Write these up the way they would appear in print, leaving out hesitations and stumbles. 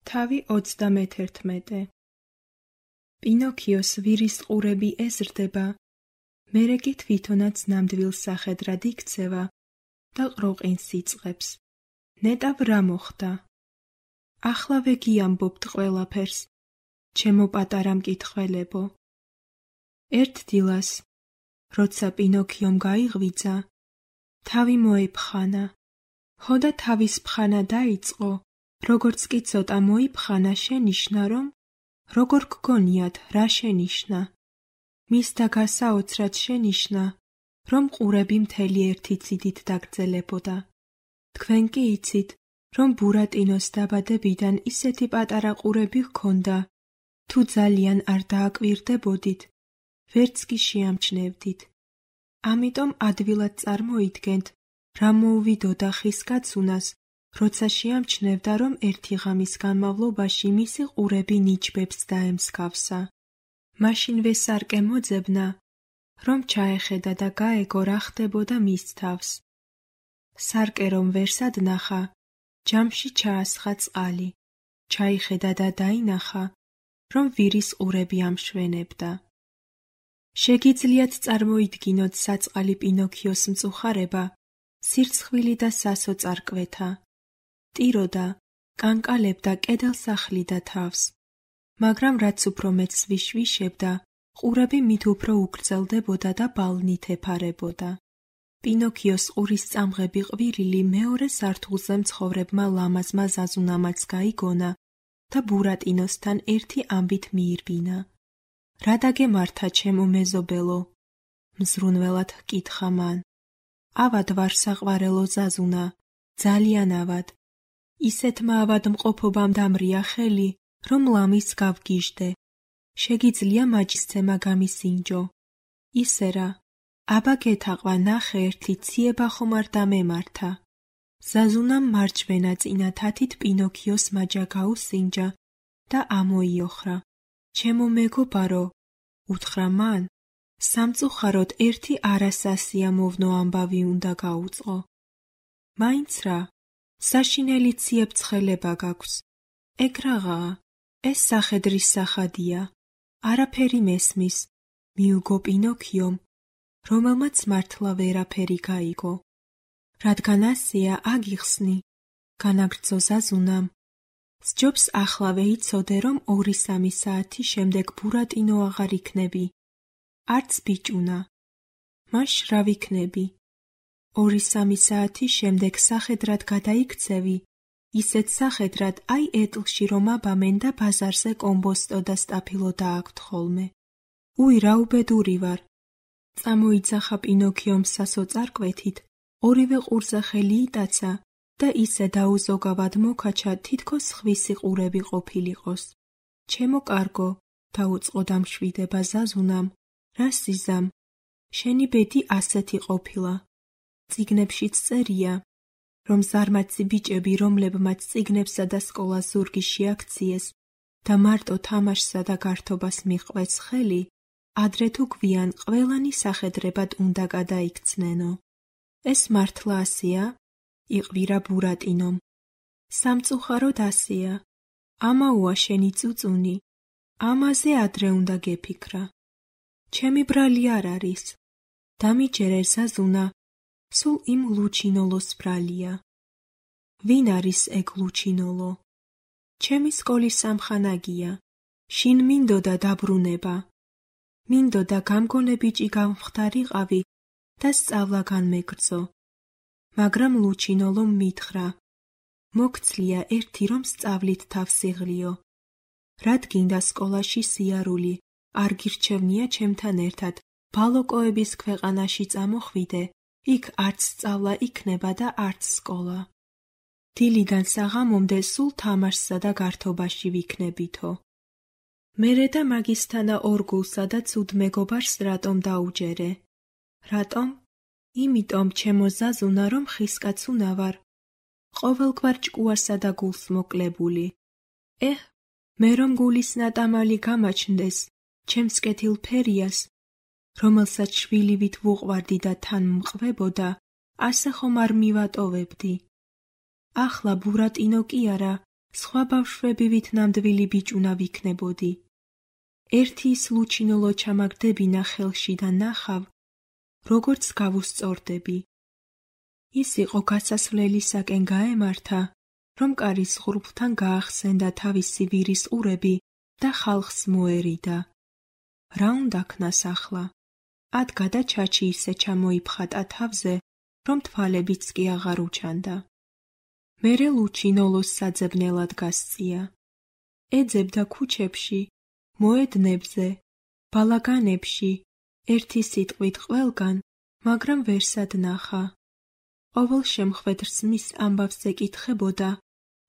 თავი 31. პინოქიოს ვირის ყურები ეზრდება, მერე კი თვითონაც ნამდვილ სახედრად იქცევა და ყროყინს იწყებს. ნეტავ რა მოხდა? ახლა გიამბობთ ყველაფერს, ჩემო პატარა მკითხველებო. ერთ დილას, როცა პინოქიომ გაიღვიძა, თავი მოეფხანა. ხო და თავის ფხანა დაიწყო, როგორც კი ცოტა მოიფხანა, შენიშნა, რომ როგორ გგონიათ, რა შენიშნა? მისთა გასაოცრად შენიშნა, რომ ყურები მთელი ერთი ციდით დაგრძელებოდა. თქვენ კი იცით, რომ ბურატინოს დაბადებიდან ისეთი პატარა ყურები ჰქონდა, თუ ძალიან არ დააკვირდებოდით, ვერც კი შეამჩნევდით. ამიტომ ადვილად წარმოიდგენთ, რა მოუვიდოდა ხის კაცუნას, როცა შეამჩნევდა, რომ ერთი ღამის განმავლობაში მისი ყურები ნიჩბებს დაემსგავსა. მაშინვე სარკე მოძებნა, რომ ჩაეხედა და გაეგო რა ხდებოდა მის თავს. სარკე რომ ვერსად ნახა, ჯამში ჩაასხა წყალი, ჩაიხედა და დაინახა, რომ ვირის ყურები ამშვენებდა. შეგიძლიათ წარმოიდგინოთ საწყალი პინოქიოს მწუხარება, სირცხვილი და სასო წარკვეთა. ტიროდა, კანკალებდა კედელს ახლიდა თავს, მაგრამ რაც უფრო მეც ვიშვიშებდა, ყურები მით უფრო უგრძელდებოდა და ბალნით ეფარებოდა. პინოქიოს ყურის წამღები ყვირილი მეორე სართულზე მცხოვრებმა ლამაზმა ზაზუნამაც გაიგონა და ბურატინოსთან ერთი ამბით მიირბინა. რა დაგემართა, ჩემო მეზობელო? მზრუნველად ჰკითხა მან. ავად ვარ საყვარელო ზაზუნა, ძალიან ავად. ისეთმა ავადმყოფობამ დამრია ხელი, რომ ლამის გავგიჟდე. შეგიძლია მაჯისცემა გამისინჯო. ისე რა, აბა გეთაყვა, ნახე, ერთი ციება ხომ არ დამემართა. ზაზუნამ მარჯვენა წინა თათით პინოქიოს მაჯა გაუსინჯა და ამოიოხრა. ჩემო მეგობარო, უთხრა მან, სამწუხაროდ ერთი არასასიამოვნო ამბავი უნდა გაუწყო. მაინც რა, საშინელი ციებ-ცხელება გაქვს. ეგ რაღაცა, ეს სახედრის სახადია. არაფერი მესმის, მიუგო პინოქიომ, რომელმაც მართლა ვერაფერი გაიგო. რადგან ასეა, აგიხსნი, განაგრძო ზაზუნამ. სჯობს ახლავე იცოდე, რომ 2-3 საათი შემდეგ ბურატინო აღარ იქნები. არც ბიჭუნა. მაშ რა ვიქნები? 2-3 საათი შემდეგ სახედრად გადაიქცევი, ისეთ სახედრად, აი ეტლში რომ აბამენ და ბაზარზე კომბოსტო და სტაფილო დააქვთ ხოლმე. უი, რა უბედური ვარ. წამოიძახა პინოქიომ სასო წარკვეთით, ორივე ყურზე ხელი იტაცა და ისე დაუზოგავად მოკაჩა, თითქოს ხვისი ყურები ყოფილიყოს. ჩემო კარგო, დაუწყო დამშვიდება ზაზუნამ, რა სიზამ, შენი ბედი ასეთი ყოფილა. წიგნებშიც წერია, რომ ზარმაცი ბიჭები, რომლებმაც წიგნებსა და სკოლას ზურგი შეაქციეს და მარტო თამაშსა და გართობას მიჰყვეს ხელი, ადრე თუ გვიან ყველანი სახედრებად უნდა გადაიქცნენო. ეს მართლა ასეა? იყვირა ბურატინომ. სამწუხაროდ ასეა. ამაოა შენი წუწუნი. ამაზე ადრე უნდა გეფიქრა. ჩემი ბრალი არ არის. დამიჯერე ზაზუნა, სულ იმ ლუჩინოლოს ბრალია. ვინ არის ეგ ლუჩინოლო? ჩემი სკოლის სამხანაგია. შინ მინდოდა დაბრუნება. მინდოდა გამგონე ბიჭი გამხდარიყავი და სწავლა განმეგრძო. მაგრამ ლუჩინოლომ მითხრა, მოგცლია ერთი რომ სწავლით თავსიღლიო. რად გინდა სკოლაში სიარული, არ გირჩევნია ჩემთან ერთად, ბალოკოების ქვეყანაში წამოხვიდე, იქ არც სწავლა იქნება და არც სკოლა. დილიდან საღამომდე სულ თამაშსა და გართობაში ვიქნებითო. მერე და მაგისთანა ორგულსა და ცუდ მეგობარს რატომ დაუჯერე? რატომ? იმიტომ, ჩემო ზაზუნა, რომ ხისკაცუნა ვარ, ყოველგვარ ჭკუასა და გულს მოკლებული. მე რომ გულის ნატამალი გამაჩნდეს, ჩემს კეთილ ფერიას, რომელსაც შვილივით ვუყვარდი და თან მყვებოდა, ასე ხომ არ მივატოვებდი. ახლა ბურატინო კი არა, სხვა ბავშვებივით ნამდვილი ბიჭუნა ვიქნებოდი. ერთი ის ლუჩინოლო ჩამაგდებინა ხელში და ნახავ, როგორც გავუსწორდები. ის იყო გასასვლელისაკენ გაემართა, რომ კარის ღრუბლთან გაახსენდა თავისი ვირის ყურები და ხალხს მოერიდა. რა უნდა ქნას ახლა? ადგა და ჩაჩი ისე ჩამოიფხატა თავზე, რომ თვალებიც კი აღარ უჩანდა. მერე ლუჩინოლოს საძებნელად გასწია. ეძებდა ქუჩებში, მოედნებზე, ბალაგანებში, ერთი სიტყვით ყველგან, მაგრამ ვერსად ნახა. ყოველ შემხვედრს მის ამბავს ეკითხებოდა,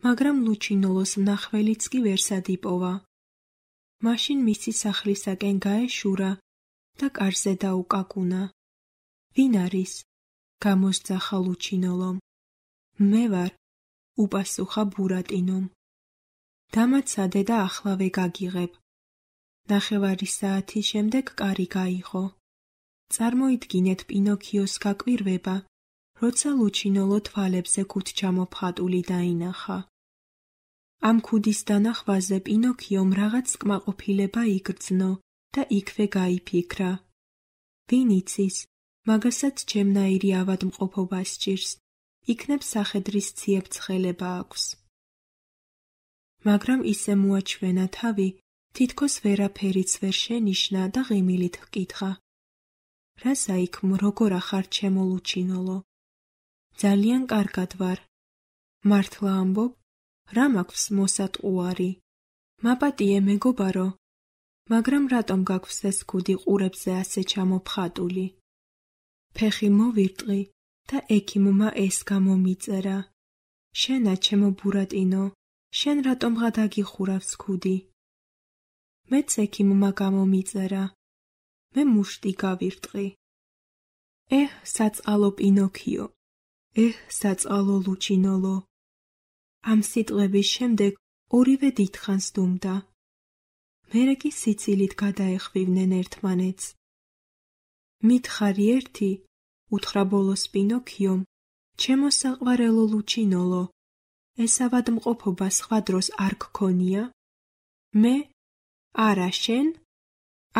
მაგრამ ლუჩინოლოს მნახველიც კი ვერსად იპოვა. მაშინ მისი სახლისაკენ გაეშურა და კარზე დაუკაკუნა. ვინ არის? გამოსძახა ლუჩინოლომ. მე ვარ, უპასუხა ბურატინომ. დამაცადე და ახლავე გაგიღებ. ნახევარი საათის შემდეგ კარი გაიღო. წარმოიდგინეთ პინოქიოს გაკვირვება, როცა ლუჩინოლო თვალებზე ქუდჩამოფხატული დაინახა. ამ ქუდის დანახვაზე პინოქიომ რაღაც კმაყოფილება იგრძნო და იქვე გაიფიქრა. ვინ იცის, მაგასაც ჩემნაირი ავადმყოფობა სჭირს, იქნებ სახედრის ციებ-ცხელება აქვს. მაგრამ ისე მოაჩვენა თავი, თითქოს ვერაფერიც ვერ შენიშნა და ღიმილით ჰკითხა. რა საიქმო, როგორ ახარ ჩემო ლუჩინოლო? ძალიან კარგად ვარ. მართლა ამბობ, რა მაქვს მოსატყუარი? მაპატიე მეგობარო, მაგრამ რატომ გაქვს ეს ქუდი ყურებზე ასე ჩამოფხატული? ფეხი მოვირტყი და ექიმმა ეს გამომიწერა. შენა ჩემო ბურატინო, შენ რატომღა დაგიხურავს ქუდი? მეც ექიმმა გამომიწერა. მე მუშტი გავირტყი. საწყალო პინოქიო, საწყალო ლუჩინოლო. ამ სიტყვების შემდეგ ორივე დიდხანს დუმდა. მერე კი სიცილით გადაეხვივნენ ერთმანეთს. მითხარი ერთი, უთხრა ბოლოს პინოქიომ, ჩემო საყვარელო ლუჩინოლო, ეს ავადმყოფობა სხვა დროს არ გქონია? მე? არა, შენ?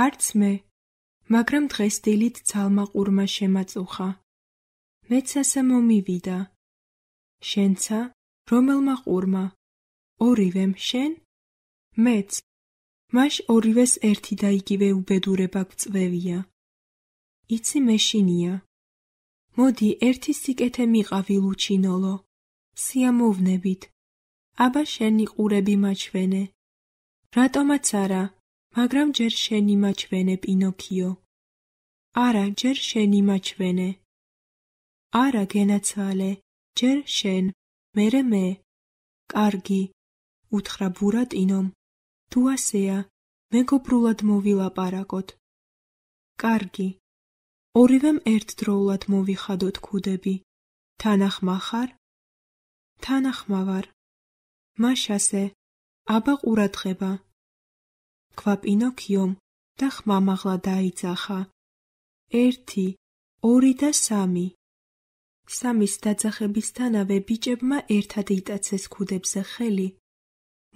არც მე, მაგრამ დღეს დილით ცალმა ყურმა შემაწუხა. მეც ასე მომივიდა. შენცა? რომელმა ყურმა? ორივემ, შენ? მეც. მაშ ორივეს ერთი და იგივე უბედურება გვწვევია. იცი მეშინია. მოდი, ერთი სიკეთე მიყავი ლუჩინოლო. სიამოვნებით. აბა შენი ყურები მაჩვენე. რატომაც არა, მაგრამ ჯერ შენი მაჩვენე პინოქიო. არა, ჯერ შენი მაჩვენე. არა, გენაცვალე, ჯერ შენ, მერე მე. კარგი, უთხრა ბურატინომ. თუ ასეა, მეგობრულად მოვილაპარაკოთ. კარგი. ორივემ ერთდროულად მოვიხადოთ ქუდები. თანახმა ხარ? თანახმა ვარ. მაშ ასე, აბა ყურადღება. თქვა პინოქიომ და ხმამაღლა დაიძახა. 1, 2 და 3. სამის დაძახებისთანავე ბიჭებმა ერთად იტაცეს ქუდებზე ხელი,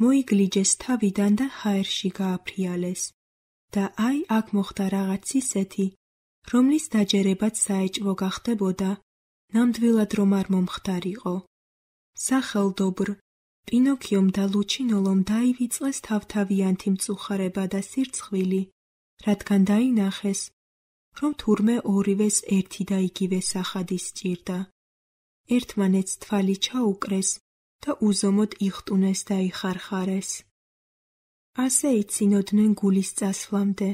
მოიგლიჯეს თავიდან და ჰაერში გააფრიალეს. და აი აქ მოხდა რაღაც ისეთი, რომლის დაჯერებაც საეჭვო გახდებოდა, ნამდვილად რომ არ მომხდარიყო. სახელდობრ, პინოქიომ და ლუჩინოლომ დაივიწყეს თავთავიანთი მწუხარება და სირცხვილი, რადგან დაინახეს, რომ თურმე ორივეს ერთი და იგივე სახადი სჭირდა. ერთმანეთს თვალი ჩაუკრეს და უზომოდ იხტუნეს და იხარხარეს. ასე იცინოდნენ გულის წასვლამდე,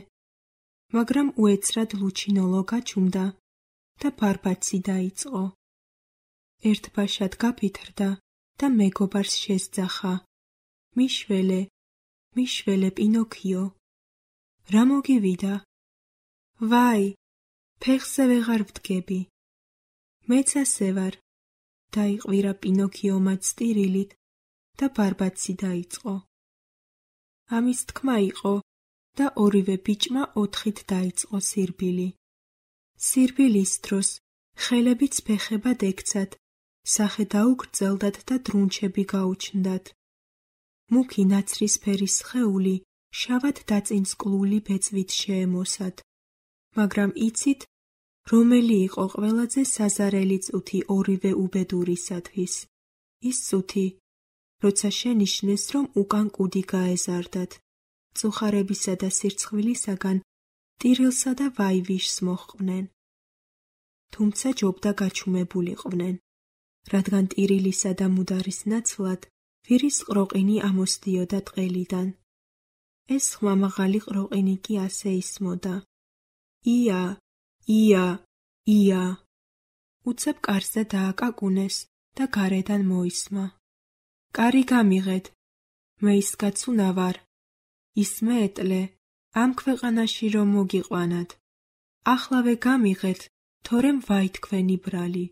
მაგრამ უეცრად ლუჩინოლო გაჩუმდა და ბარბაცი დაიწყო. ერთბაშად გაფითრდა და მეგობარს შესძახა. მიშველე, მიშველე პინოქიო. რა მოგივიდა? ვაი, ფეხზე ვეღარ ვდგები. მეც ასე ვარ. დაიყვირა პინოქიომაც სტირილით და ბარბაცი დაიწყო. ამის თქმა იყო და ორივე ბიჭმა 4-ით დაიწყო სირბილი. სირბილის დროს ხელებიც ფეხებად ექცათ, სახე დაუგრძელდათ და დრუნჩები გაუჩნდათ. მუქი ნაცრისფერი სხეული შავად დაწინწკლული ბეწვით შეემოსად, მაგრამ იცით, რომელი იყო ყველაზე საზარელი წუთი ორივე უბედურისათვის? ის წუთი, როცა შენიშნეს, რომ უკან კუდი გაეზარდათ, წუხარებისა და სირცხვილისაგან ტირილსა და ვაივიშს მოჰყვნენ. თუმცა ჯობდა გაჩუმებულიყვნენ, რადგან ტირილისა და მუდარის ნაცვლად ვირის ყროყინი ამოსდიოდა ტყელიდან. ეს ხმამაღალი ყროყინი კი ასე ისმოდა: ია, ია, ია. უცებ კარზე დააკაკუნეს და გარედან მოისმა: კარი გამიღეთ, მე ის კაცუნა ვარ, ის მეეტლე, ამ ქვეყანაში რომ მოგიყვანათ. ახლავე გამიღეთ, თორემ ვაი თქვენი ბრალი.